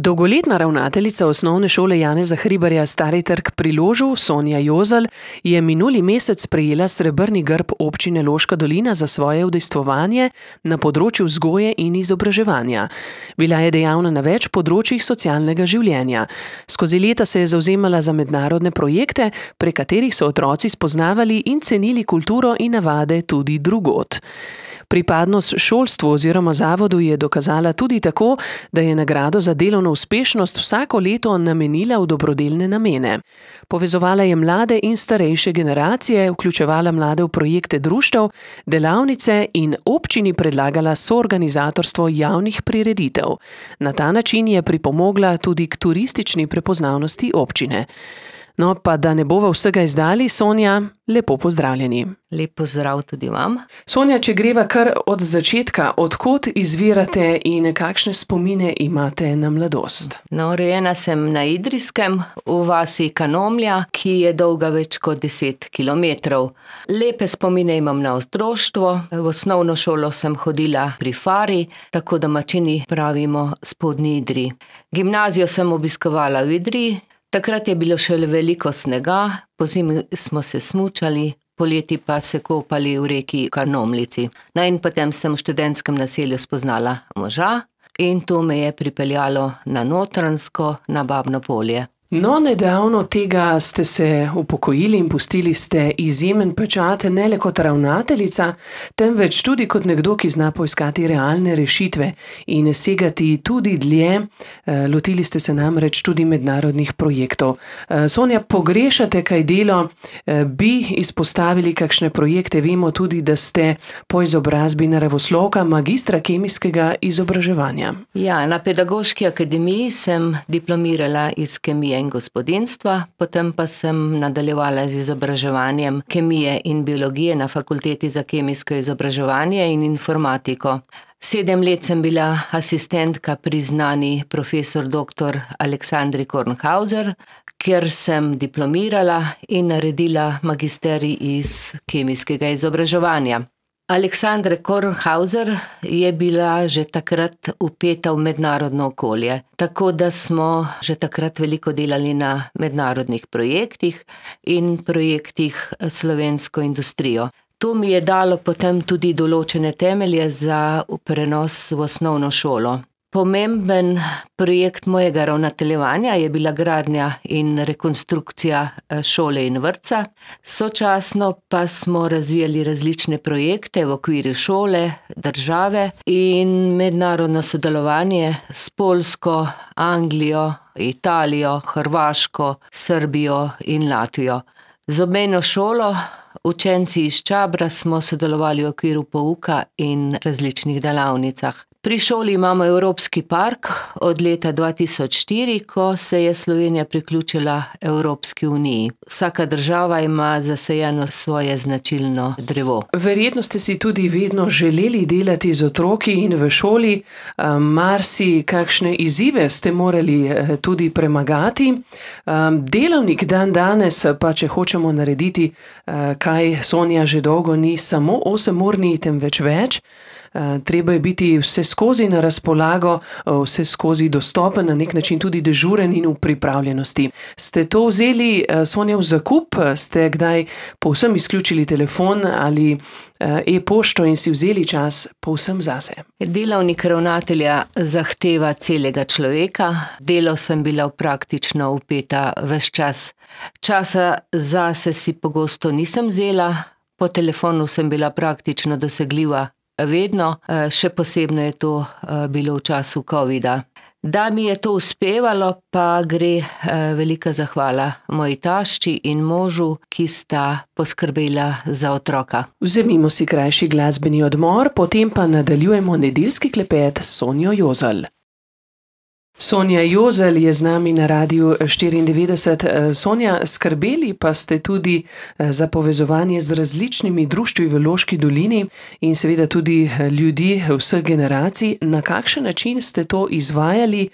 Dolgoletna ravnateljica Osnovne šole Janeza Hribarja Stari Trg pri Ložu, Sonja Jozal, je minuli mesec prejela srebrni grb občine Loška dolina za svoje udejstvovanje na področju vzgoje in izobraževanja. Bila je dejavna na več področjih socialnega življenja. Skozi leta se je zavzemala za mednarodne projekte, prek katerih so otroci spoznavali in cenili kulturo in navade tudi drugod. Pripadnost šolstvu oziroma zavodu je dokazala tudi tako, da je nagrado za delovno uspešnost vsako leto namenila v dobrodelne namene. Povezovala je mlade in starejše generacije, vključevala mlade v projekte društev, delavnice in občini predlagala soorganizatorstvo javnih prireditev. Na ta način je pripomogla tudi k turistični prepoznavnosti občine. No, pa da ne bova vsega izdali, Sonja, lepo pozdravljeni. Lep pozdrav tudi vam. Sonja, če greva kar od začetka, od kod izvirate in kakšne spomine imate na mladost? No, rojena sem na Idrijskem, v vasi Kanomlja, ki je dolga več kot 10 kilometrov. Lepe spomine imam na otroštvo. V osnovno šolo sem hodila pri Fari, tako domačini pravimo Spodnji Idriji. Gimnazijo sem obiskovala v Idriji. Takrat je bilo še veliko snega, pozimi smo se smučali, poleti pa se kopali v reki Kanomlici. No in potem sem v študentskem naselju spoznala moža in to me je pripeljalo na Notranjsko, na Babno Polje. No, nedavno tega ste se upokojili in pustili ste izjemen pečat ne le kot ravnateljica, temveč tudi kot nekdo, ki zna poiskati realne rešitve in segati tudi dlje. Lotili ste se namreč tudi mednarodnih projektov. Sonja, pogrešate kaj delo? Bi izpostavili kakšne projekte? Vemo tudi, da ste po izobrazbi naravoslovka, magistra kemijskega izobraževanja. Ja, na Pedagoški akademiji sem diplomirala iz kemije in gospodinjstva, potem pa sem nadaljevala z izobraževanjem kemije in biologije na Fakulteti za kemijsko izobraževanje in informatiko. 7 let sem bila asistentka pri znani profesor dr. Aleksandri Kornhauser, kjer sem diplomirala in naredila magisterij iz kemijskega izobraževanja. Aleksandra Kornhauser je bila že takrat vpeta v mednarodno okolje, tako da smo že takrat veliko delali na mednarodnih projektih in projektih s slovensko industrijo. To mi je dalo potem tudi določene temelje za prenos v osnovno šolo. Pomemben projekt mojega ravnateljevanja je bila gradnja in rekonstrukcija šole in vrtca. Sočasno pa smo razvijali različne projekte v okviru šole, države in mednarodno sodelovanje s Poljsko, Anglijo, Italijo, Hrvaško, Srbijo in Latvijo. Z obmejno šolo, učenci iz Čabra, smo sodelovali v okviru pouka in različnih delavnicah. Pri šoli imamo Evropski park od leta 2004, ko se je Slovenija priključila Evropski uniji. Vsaka država ima zasajeno svoje značilno drevo. Verjetno ste si tudi vedno želeli delati z otroki in v šoli. Marsi kakšne izzive ste morali tudi premagati. Delavnik dan danes, pa če hočemo narediti, kaj Sonja že dolgo ni samo 8-urni, temveč več. Treba je biti vse skozi na razpolago, vse skozi dostopen, na nek način tudi dežuren in v pripravljenosti. Ste to vzeli, Sonja, v zakup? Ste kdaj povsem izključili telefon ali e-pošto in si vzeli čas povsem zase? Delavnik ravnatelja zahteva celega človeka. Delo sem bila praktično vpeta ves čas. Časa zase si pogosto nisem vzela, po telefonu sem bila praktično dosegljiva vedno, še posebno je to bilo v času covida. Da mi je to uspevalo, pa gre velika zahvala moji tašči in možu, ki sta poskrbela za otroka. Vzemimo si krajši glasbeni odmor, potem pa nadaljujemo nedeljski klepet s Sonjo Jozal. Sonja Jozal je z nami na Radiu 94. Sonja, skrbeli pa ste tudi za povezovanje z različnimi društvi v Loški dolini in seveda tudi ljudi vseh generacij. Na kakšen način ste to izvajali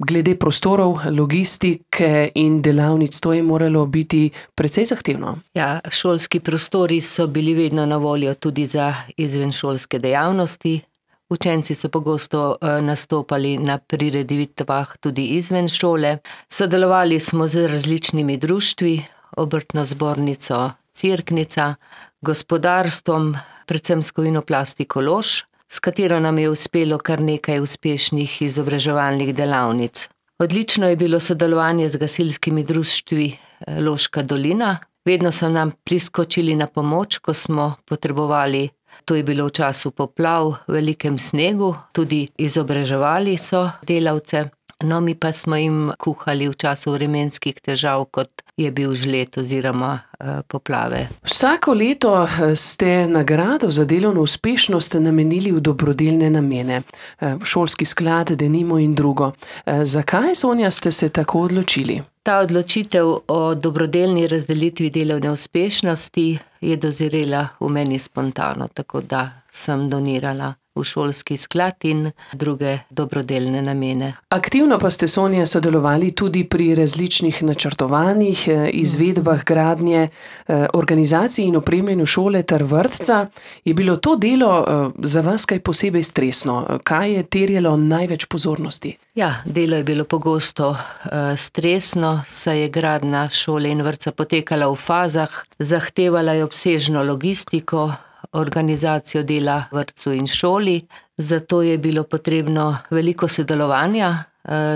glede prostorov, logistike in delavnic? To je moralo biti precej zahtevno. Ja, šolski prostori so bili vedno na voljo tudi za izvenšolske dejavnosti. Učenci so pogosto nastopali na prireditvah tudi izven šole. Sodelovali smo z različnimi društvi, Obrtno zbornico Cerknica, gospodarstvom, predvsem s Kovinoplastiko Lož, s katero nam je uspelo kar nekaj uspešnih izobraževalnih delavnic. Odlično je bilo sodelovanje z gasilskimi društvi Loška dolina. Vedno so nam priskočili na pomoč, ko smo potrebovali. To je bilo v času poplav, velikem snegu, tudi izobraževali so delavce. No, mi pa smo jim kuhali v času vremenskih težav, kot je bil žled oziroma poplave. Vsako leto ste nagrado za delovno uspešnost namenili v dobrodelne namene. Šolski sklad, denimo in drugo. Zakaj, Sonja, ste se tako odločili? Ta odločitev o dobrodelni razdelitvi delovne uspešnosti je dozirela v meni spontano, tako da sem donirala v šolski sklad in druge dobrodelne namene. Aktivno pa ste, Sonja, sodelovali tudi pri različnih načrtovanjih, izvedbah gradnje, organizaciji in opremljanju šole ter vrtca. Je bilo to delo za vas kaj posebej stresno? Kaj je terjalo največ pozornosti? Ja, delo je bilo pogosto stresno, saj je gradnja šole in vrtca potekala v fazah, zahtevala je obsežno logistiko, organizacijo dela vrtcu in šoli, zato je bilo potrebno veliko sodelovanja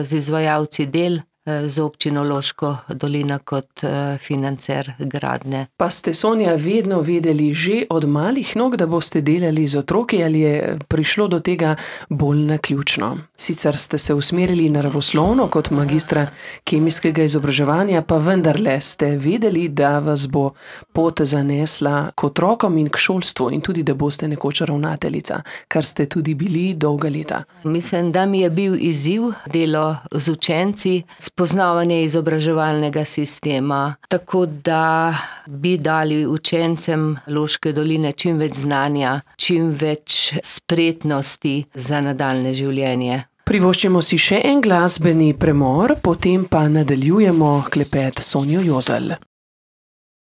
z izvajalci del, z občino Loško dolina kot financer gradnje. Pa ste, Sonja, vedno vedeli že od malih nog, da boste delali z otroki, ali je prišlo do tega bolj naključno? Sicer ste se usmerili naravoslovno kot magistra kemijskega izobraževanja, pa vendarle ste vedeli, da vas bo pot zanesla k otrokom in k šolstvu in tudi, da boste nekoč ravnateljica, kar ste tudi bili dolga leta. Mislim, da mi je bil izziv delo z učenci, spoznavanje izobraževalnega sistema, tako da bi dali učencem Loške doline čim več znanja, čim več spretnosti za nadaljne življenje. Privoščimo si še en glasbeni premor, potem pa nadaljujemo klepet s Sonjo Jozal.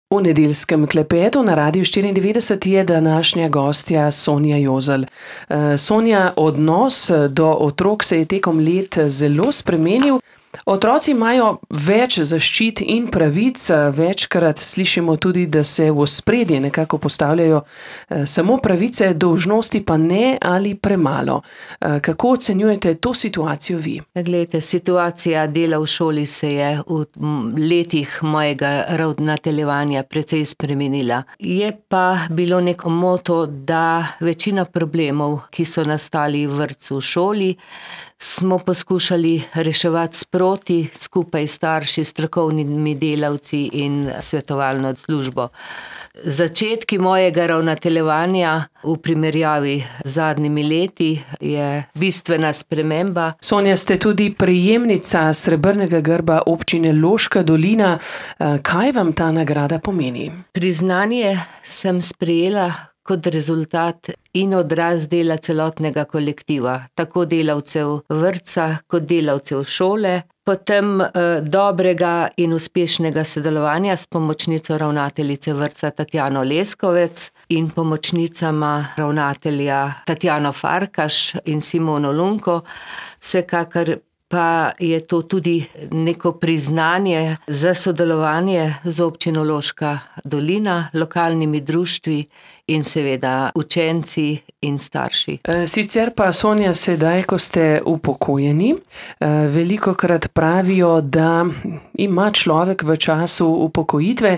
V nedeljskem klepetu na Radiu 94 je današnja gostja Sonja Jozal. Sonja, odnos do otrok se je tekom let zelo spremenil. Otroci imajo več zaščit in pravic, večkrat slišimo tudi, da se v ospredje nekako postavljajo samo pravice, dolžnosti pa ne ali premalo. Kako ocenjujete to situacijo vi? Glejte, situacija dela v šoli se je v letih mojega ravnateljevanja precej spremenila. Je pa bilo neko moto, da večina problemov, ki so nastali v vrtcu, v šoli, smo poskušali reševati sproti, skupaj s starši, strokovnimi delavci in svetovalno službo. Začetki mojega ravnateljevanja v primerjavi z zadnjimi leti je bistvena sprememba. Sonja, ste tudi prejemnica srebrnega grba občine Loška dolina. Kaj vam ta nagrada pomeni? Priznanje sem sprejela kot rezultat in odraz dela celotnega kolektiva, tako delavcev vrtca kot delavcev šole, potem dobrega in uspešnega sodelovanja s pomočnico ravnateljice vrtca Tatjano Leskovec in pomočnicama ravnatelja Tatjano Farkaš in Simono Lunko. Vsekakor pa je to tudi neko priznanje za sodelovanje z občino Loška dolina, lokalnimi društvi in seveda učenci in starši. Sicer pa, Sonja, sedaj, ko ste upokojeni, velikokrat pravijo, da ima človek v času upokojitve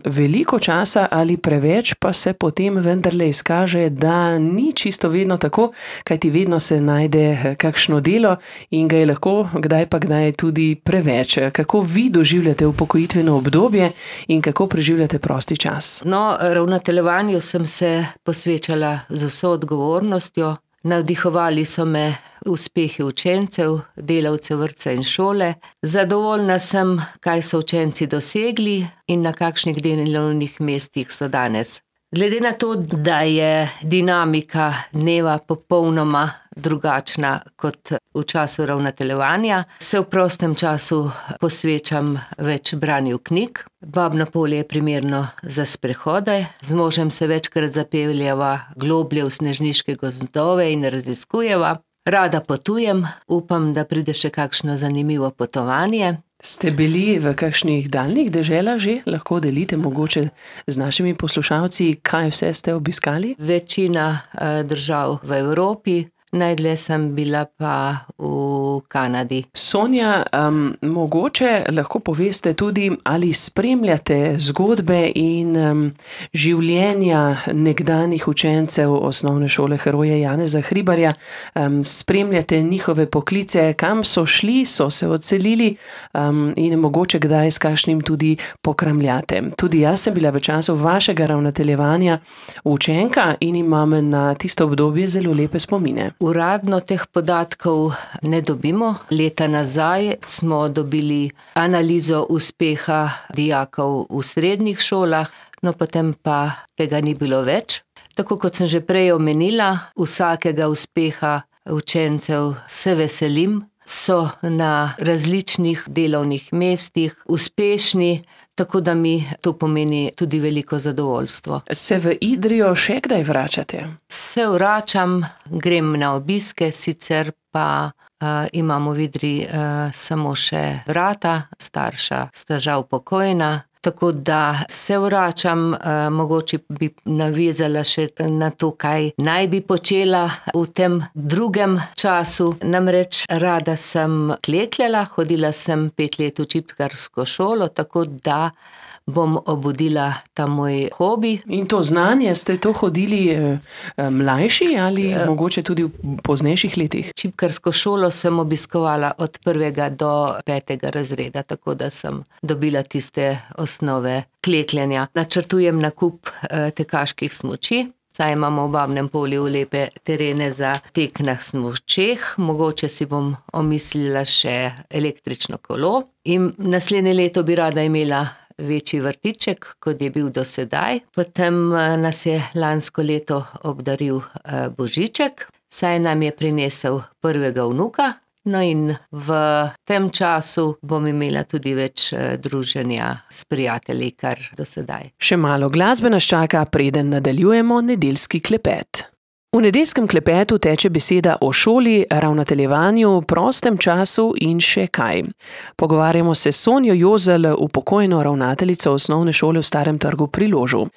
veliko časa ali preveč, pa se potem vendarle izkaže, da ni čisto vedno tako, kajti vedno se najde kakšno delo in ga je lahko kdaj pa kdaj tudi preveč. Kako vi doživljate upokojitveno obdobje in kako preživljate prosti čas? No, ravnateljevanju sem se posvečala z vso odgovornostjo. Navdihovali so me uspehi učencev, delavcev vrtca in šole. Zadovoljna sem, kaj so učenci dosegli in na kakšnih delovnih mestih so danes. Glede na to, da je dinamika dneva popolnoma drugačna kot v času ravnateljevanja, se v prostem času posvečam več branju knjig. Babno polje je primerno za sprehode, z možem se večkrat zapeljeva globlje v snežniške gozdove in raziskujeva. Rada potujem, upam, da pride še kakšno zanimivo potovanje. Ste bili v kakšnih daljnih deželah že? Lahko delite mogoče z našimi poslušalci, kaj vse ste obiskali? Večina držav v Evropi, najdlje sem bila pa v Kanadi. Sonja, mogoče lahko poveste tudi, ali spremljate zgodbe in življenja nekdanjih učencev Osnovne šole Heroja Janeza Hribarja, spremljate njihove poklice, kam so šli, so se odselili in mogoče kdaj s kakšnim tudi pokramljate. Tudi jaz sem bila v času vašega ravnateljevanja učenka in imam na tisto obdobje zelo lepe spomine. Uradno teh podatkov ne dobimo. Leta nazaj smo dobili analizo uspeha dijakov v srednjih šolah, no potem pa tega ni bilo več. Tako kot sem že prej omenila, vsakega uspeha učencev se veselim, so na različnih delovnih mestih uspešni, tako da mi to pomeni tudi veliko zadovoljstvo. Se v Idrijo še kdaj vračate? Se vračam, grem na obiske, sicer pa imamo v Idriji samo še brata, starša sta žal pokojna. Tako da se vračam, mogoče bi navezala še na to, kaj naj bi počela v tem drugem času. Namreč rada sem klekljala, hodila sem 5 let v čipkarsko šolo, tako da bom obudila ta moj hobi. In to znanje, ste to hodili mlajši ali mogoče tudi v poznejših letih? Čipkarsko šolo sem obiskovala od 1. do 5. razreda, tako da sem dobila tiste osnove klekljanja. Načrtujem nakup tekaških smuči, saj imamo v Babnem polju lepe terene za tek na smučeh, mogoče si bom omislila še električno kolo in naslednje leto bi rada imela večji vrtiček, kot je bil do sedaj. Potem nas je lansko leto obdaril Božiček, saj nam je prinesel prvega vnuka. No in v tem času bom imela tudi več druženja s prijatelji, kar do sedaj. Še malo glasbe nas čaka, preden nadaljujemo nedeljski klepet. V nedeljskem klepetu teče beseda o šoli, ravnateljevanju, prostem času in še kaj. Pogovarjamo se s Sonjo Jozelj, upokojeno ravnateljico Osnovne šole v Starem trgu pri Ložu.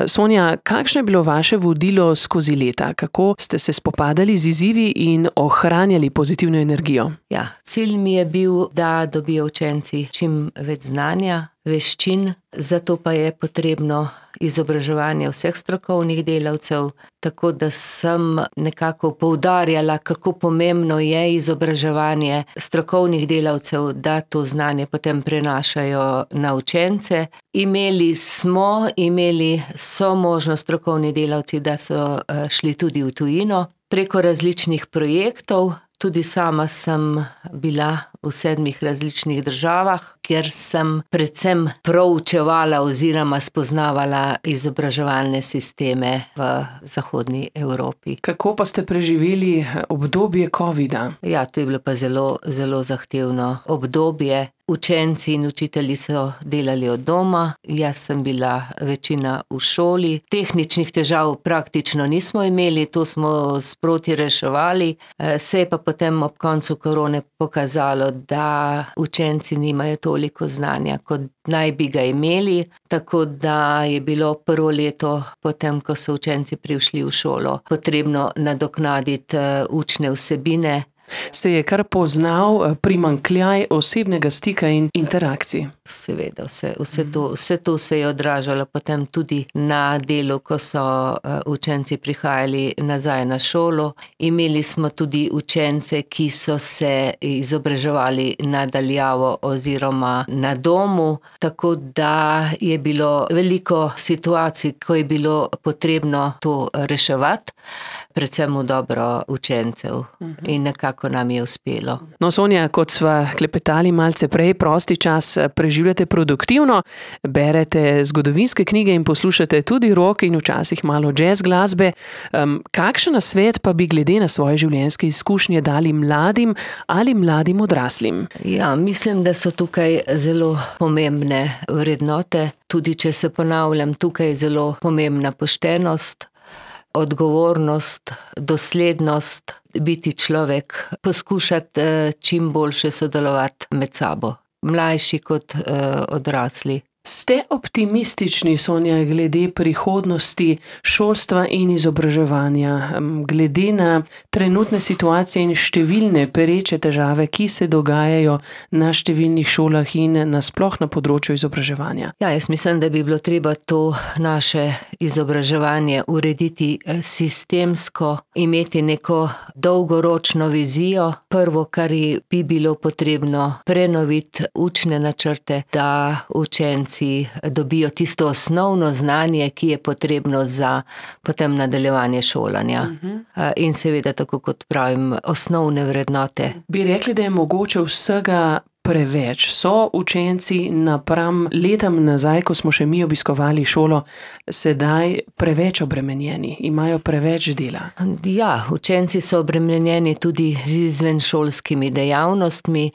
Sonja, kakšno je bilo vaše vodilo skozi leta? Kako ste se spopadali z izzivi in ohranjali pozitivno energijo? Ja, cilj mi je bil, da dobijo učenci čim več znanja, veščin, zato pa je potrebno izobraževanje vseh strokovnih delavcev, tako da sem nekako poudarjala, kako pomembno je izobraževanje strokovnih delavcev, da to znanje potem prenašajo na učence. Imeli so možnost strokovni delavci, da so šli tudi v tujino preko različnih projektov. Tudi sama sem bila v 7 različnih državah, kjer sem predvsem proučevala oziroma spoznavala izobraževalne sisteme v zahodni Evropi. Kako pa ste preživeli obdobje covida? Ja, to je bilo pa zelo, zelo zahtevno obdobje. Učenci in učitelji so delali od doma, jaz sem bila večina v šoli. Tehničnih težav praktično nismo imeli, to smo sproti reševali. Se je pa potem ob koncu korone pokazalo, da učenci nimajo toliko znanja, kot naj bi ga imeli. Tako da je bilo prvo leto, potem ko so učenci prišli v šolo, potrebno nadoknaditi učne vsebine. Se je kar poznal primanjkljaj osebnega stika in interakcij? Seveda, vse to se je odražalo potem tudi na delu, ko so učenci prihajali nazaj na šolo. Imeli smo tudi učence, ki so se izobraževali na daljavo oziroma na domu, tako da je bilo veliko situacij, ko je bilo potrebno to reševati. predvsem v dobro učencev. In nekako nam je uspelo. No, Sonja, kot sva klepetali malce prej, prosti čas preživljate produktivno, berete zgodovinske knjige in poslušate tudi rock in včasih malo jazz glasbe. Kakšen nasvet pa bi glede na svoje življenjske izkušnje dali mladim ali mladim odraslim? Ja, mislim, da so tukaj zelo pomembne vrednote. Tudi če se ponavljam, tukaj je zelo pomembna poštenost, odgovornost, doslednost, biti človek, poskušati čim boljše sodelovati med sabo, mlajši kot odrasli. Ste optimistični, Sonja, glede prihodnosti šolstva in izobraževanja, glede na trenutne situacije in številne pereče težave, ki se dogajajo na številnih šolah in nasploh na področju izobraževanja? Ja, jaz mislim, da bi bilo treba to naše izobraževanje urediti sistemsko, imeti neko dolgoročno vizijo. Prvo, kar bi bilo potrebno, prenoviti učne načrte, da učenci dobijo tisto osnovno znanje, ki je potrebno za potem nadaljevanje šolanja. In seveda, tako kot pravim, osnovne vrednote. Bi rekli, da je mogoče vsega preveč? So učenci napram letam nazaj, ko smo še mi obiskovali šolo, sedaj preveč obremenjeni, imajo preveč dela? Ja, učenci so obremenjeni tudi z izvenšolskimi dejavnostmi,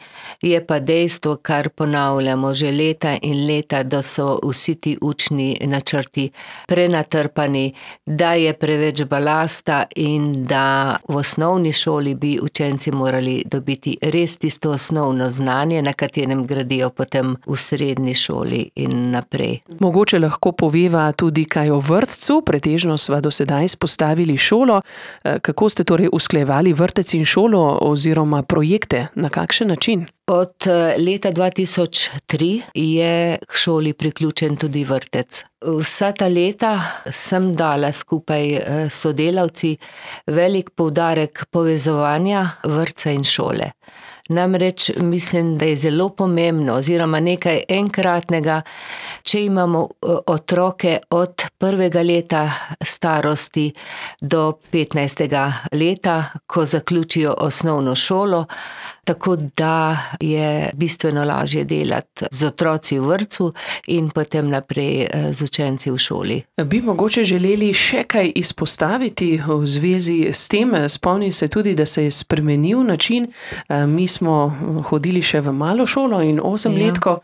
je pa dejstvo, kar ponavljamo že leta in leta, da so vsi ti učni načrti prenatrpani, da je preveč balasta in da v osnovni šoli bi učenci morali dobiti res tisto osnovno znanje, na katerem gradijo potem v srednji šoli in naprej. Mogoče lahko poveva tudi kaj o vrtcu, pretežno sva do sedaj izpostavili šolo. Kako ste torej usklajevali vrtec in šolo oziroma projekte, na kakšen način? Od leta 2003 je k šoli priključen tudi vrtec. Vsa ta leta sem dala skupaj s sodelavci velik poudarek povezovanja vrtca in šole. Namreč mislim, da je zelo pomembno oziroma nekaj enkratnega, če imamo otroke od 1. leta starosti do 15. leta, ko zaključijo osnovno šolo, tako da je bistveno lažje delati z otroci v vrtcu in potem naprej z učenci v šoli. Bi mogoče želeli še kaj izpostaviti v zvezi s tem? Spomnim se tudi, da se je spremenil način. Mi smo hodili še v malo šolo in 8-letko.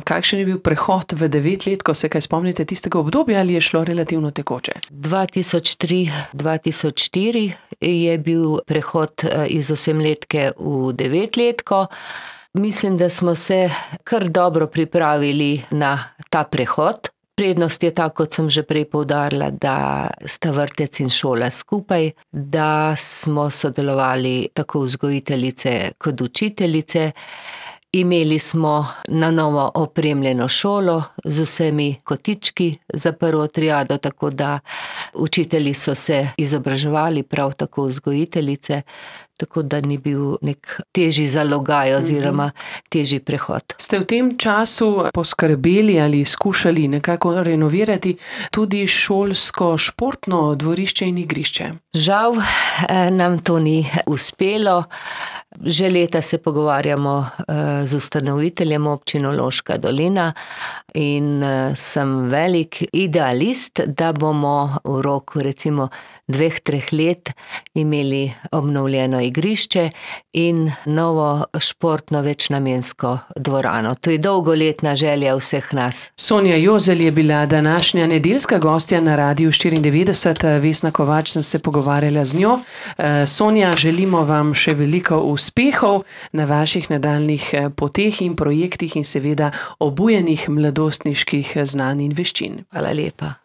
Kakšen je bil prehod v 9-letko? Se kaj spomnite tistega obdobja ali je šlo relativno tekoče? 2003-2004 je bil prehod iz 8-letke v 9-letko. Mislim, da smo se kar dobro pripravili na ta prehod. Prednost je ta, kot sem že prej poudarila, da sta vrtec in šola skupaj, da smo sodelovali tako vzgojiteljice kot učiteljice. Imeli smo na novo opremljeno šolo z vsemi kotički za prvo triado, tako da učitelji so se izobraževali, prav tako vzgojiteljice, tako da ni bil nek težji zalogaj oziroma težji prehod. Ste v tem času poskrbeli ali skušali nekako renovirati tudi šolsko športno dvorišče in igrišče? Žal nam to ni uspelo. Že leta se pogovarjamo z ustanoviteljem občino Loška dolina in sem velik idealist, da bomo v roku recimo 2-3 let imeli obnovljeno igrišče in novo športno večnamensko dvorano. To je dolgoletna želja vseh nas. Sonja Jozelj je bila današnja nedeljska gostja na Radiu 94. Vesna Kovač sem se pogovarjala z njo. Sonja, želimo vam še veliko uspehov na vaših nadaljnjih poteh in projektih in seveda obujenih mladostniških znanj in veščin. Hvala lepa.